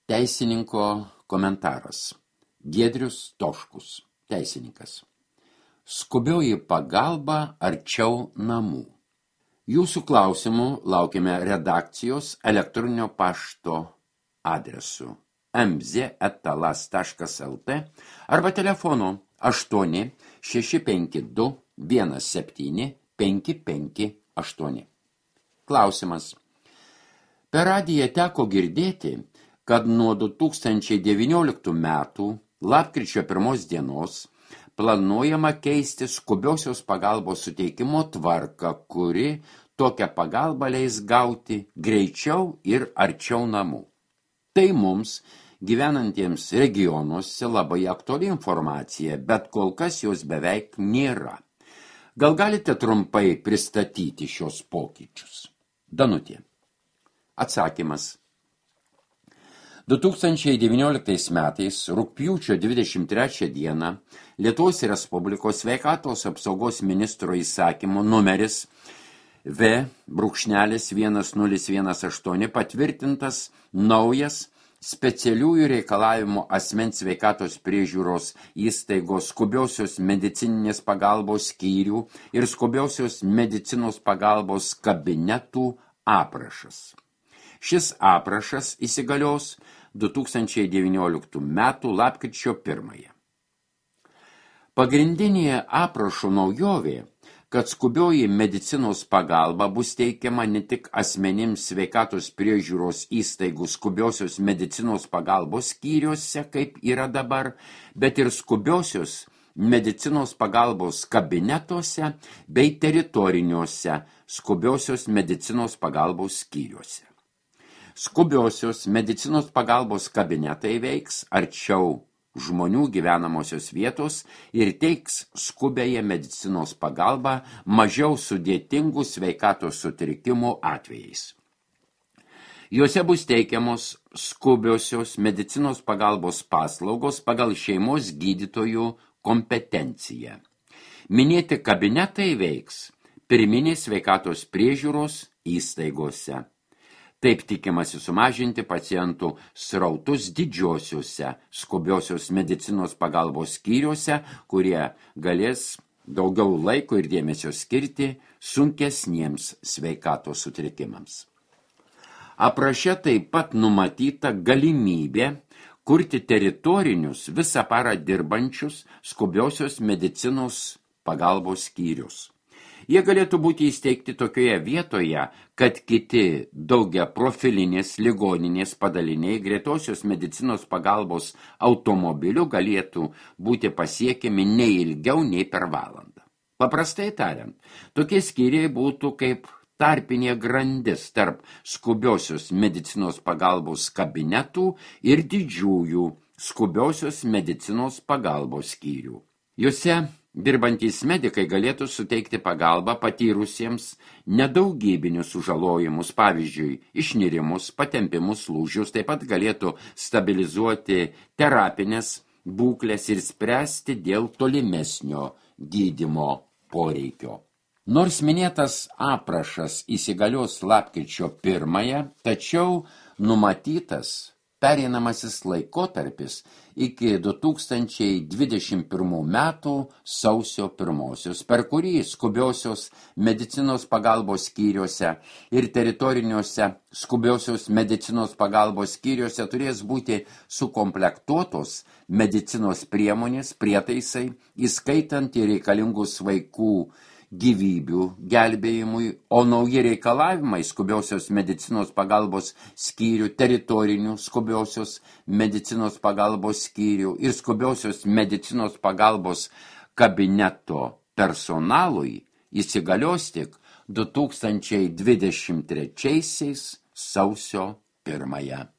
Teisininko komentaras. Giedrius Toškus, teisininkas. Skubioji pagalba arčiau namų. Jūsų klausimų laukiame redakcijos elektroninio pašto adresu mz@talas.lt arba telefonu 8 652 17 558. Klausimas. Per radiją teko girdėti, kad nuo 2019 metų lapkričio 1 dienos planuojama keisti skubiosios pagalbos suteikimo tvarką, kuri tokią pagalbą leis gauti greičiau ir arčiau namų. Tai mums, gyvenantiems regionuose, labai aktuali informacija, bet kol kas jos beveik nėra. Gal galite trumpai pristatyti šios pokyčius? Danutė. Atsakymas. 2019 metais rugpjūčio 23 dieną Lietuvos Respublikos sveikatos apsaugos ministro įsakymo numeris V.1018 patvirtintas naujas specialiųjų reikalavimų asmens sveikatos priežiūros įstaigos skubiosios medicininės pagalbos skyrių ir skubiosios medicinos pagalbos kabinetų aprašas. Šis aprašas įsigalios 2019 metų lapkričio 1. Pagrindinė aprašo naujovė, kad skubioji medicinos pagalba bus teikiama ne tik asmenims sveikatos priežiūros įstaigų skubiosios medicinos pagalbos skyriuose, kaip yra dabar, bet ir skubiosios medicinos pagalbos kabinetuose bei teritoriniuose skubiosios medicinos pagalbos skyriuose. Skubiosios medicinos pagalbos kabinetai veiks arčiau žmonių gyvenamosios vietos ir teiks skubėje medicinos pagalbą mažiau sudėtingų sveikatos sutrikimų atvejais. Juose bus teikiamos skubiosios medicinos pagalbos paslaugos pagal šeimos gydytojų kompetenciją. Minėti kabinetai veiks pirminės sveikatos priežiūros įstaigose. Taip tikimasi sumažinti pacientų srautus didžiosiuose skubiosios medicinos pagalbos skyriuose, kurie galės daugiau laiko ir dėmesio skirti sunkesniems sveikatos sutrikimams. Apraše taip pat numatyta galimybė kurti teritorinius visą parą dirbančius skubiosios medicinos pagalbos skyrius. Jie galėtų būti įsteigti tokioje vietoje, kad kiti daugiaprofilinės ligoninės padaliniai greitosios medicinos pagalbos automobilių galėtų būti pasiekiami ne ilgiau nei per valandą. Paprastai tariant, tokie skyriai būtų kaip tarpinė grandis tarp skubiosios medicinos pagalbos kabinetų ir didžiųjų skubiosios medicinos pagalbos skyrių. Juose dirbantys medikai galėtų suteikti pagalbą patyrusiems nedaugybinius sužalojimus, pavyzdžiui, išnirimus, patempimus, lūžius, taip pat galėtų stabilizuoti terapinės būklės ir spręsti dėl tolimesnio gydymo poreikio. Nors minėtas aprašas įsigalios lapkričio 1, tačiau numatytas pereinamasis laikotarpis iki 2021 metų sausio 1, per kurį skubiosios medicinos pagalbos skyriuose ir teritoriniuose skubiosios medicinos pagalbos skyriuose turės būti sukomplektuotos medicinos priemonės, prietaisai, įskaitant ir reikalingus vaikų gyvybių gelbėjimui, o nauji reikalavimai skubiosios medicinos pagalbos skyrių, teritorinių skubiosios medicinos pagalbos skyrių ir skubiosios medicinos pagalbos kabineto personalui įsigalios tik 2023 sausio 1.